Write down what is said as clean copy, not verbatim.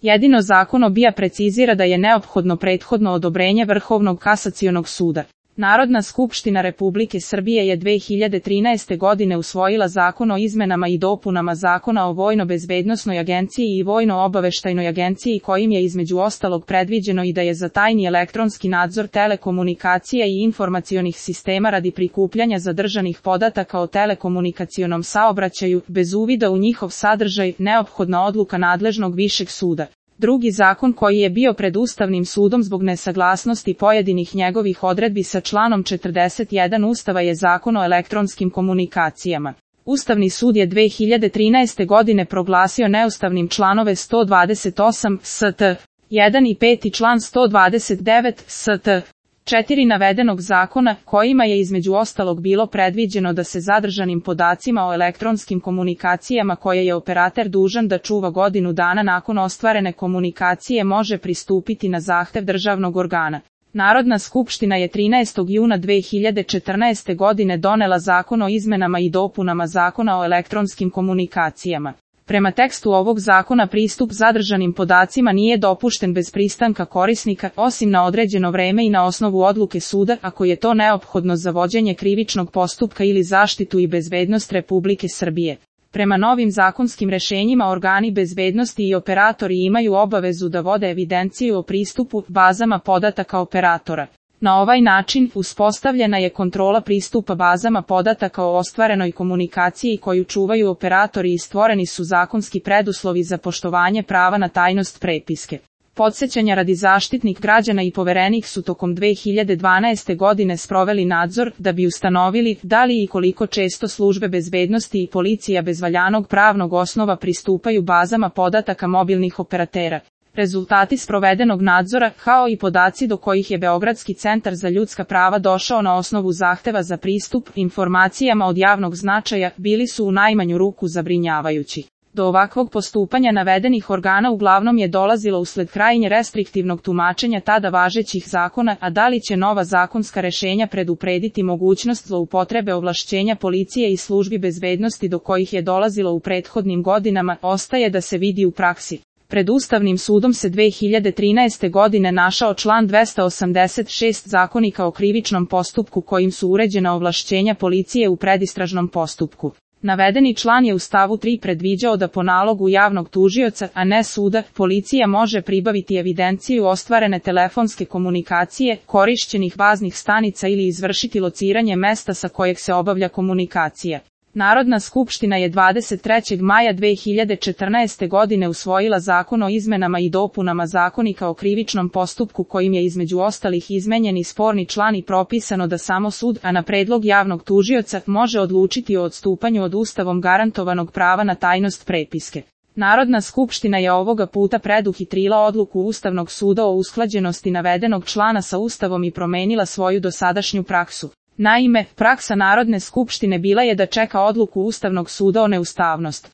Jedino zakon o BIA precizira da je neophodno prethodno odobrenje Vrhovnog kasacionog suda. Narodna skupština Republike Srbije je 2013. godine usvojila Zakon o izmenama i dopunama Zakona o Vojno-bezbednosnoj agenciji i Vojno-obaveštajnoj agenciji kojim je između ostalog predviđeno i da je za tajni elektronski nadzor telekomunikacija i informacionih sistema radi prikupljanja zadržanih podataka o telekomunikacionom saobraćaju, bez uvida u njihov sadržaj, neophodna odluka nadležnog višeg suda. Drugi zakon koji je bio pred Ustavnim sudom zbog nesaglasnosti pojedinih njegovih odredbi sa članom 41 Ustava je Zakon o elektronskim komunikacijama. Ustavni sud je 2013. godine proglasio neustavnim članove 128 st. 1 i 5 i član 129 st. 4 navedenog zakona, kojima je između ostalog bilo predviđeno da se zadržanim podacima o elektronskim komunikacijama koje je operater dužan da čuva godinu dana nakon ostvarene komunikacije može pristupiti na zahtev državnog organa. Narodna skupština je 13. juna 2014. godine donela Zakon o izmenama i dopunama Zakona o elektronskim komunikacijama. Prema tekstu ovog zakona pristup zadržanim podacima nije dopušten bez pristanka korisnika, osim na određeno vreme i na osnovu odluke suda, ako je to neophodno za vođenje krivičnog postupka ili zaštitu i bezbednost Republike Srbije. Prema novim zakonskim rešenjima organi bezbednosti i operatori imaju obavezu da vode evidenciju o pristupu bazama podataka operatora. Na ovaj način uspostavljena je kontrola pristupa bazama podataka o ostvarenoj komunikaciji koju čuvaju operatori i stvoreni su zakonski preduslovi za poštovanje prava na tajnost prepiske. Podsećanja radi Zaštitnik građana i Poverenik su tokom 2012. godine sproveli nadzor da bi ustanovili da li i koliko često službe bezbednosti i policija bez valjanog pravnog osnova pristupaju bazama podataka mobilnih operatera. Rezultati sprovedenog nadzora, kao i podaci do kojih je Beogradski centar za ljudska prava došao na osnovu zahteva za pristup informacijama od javnog značaja, bili su u najmanju ruku zabrinjavajući. Do ovakvog postupanja navedenih organa uglavnom je dolazilo usled krajnje restriktivnog tumačenja tada važećih zakona, a da li će nova zakonska rešenja preduprediti mogućnost zloupotrebe ovlašćenja policije i službi bezbednosti do kojih je dolazilo u prethodnim godinama, ostaje da se vidi u praksi. Pred Ustavnim sudom se 2013. godine našao član 286 Zakonika o krivičnom postupku kojim su uređena ovlašćenja policije u predistražnom postupku. Navedeni član je u stavu 3 predviđao da po nalogu javnog tužioca, a ne suda, policija može pribaviti evidenciju ostvarene telefonske komunikacije, korišćenih baznih stanica ili izvršiti lociranje mesta sa kojeg se obavlja komunikacija. Narodna skupština je 23. maja 2014. godine usvojila Zakon o izmenama i dopunama Zakonika o krivičnom postupku kojim je između ostalih izmenjen i sporni član i propisano da samo sud, a na predlog javnog tužioca, može odlučiti o odstupanju od Ustavom garantovanog prava na tajnost prepiske. Narodna skupština je ovoga puta preduhitrila odluku Ustavnog suda o usklađenosti navedenog člana sa Ustavom i promenila svoju dosadašnju praksu. Naime, praksa Narodne skupštine bila je da čeka odluku Ustavnog suda o neustavnosti.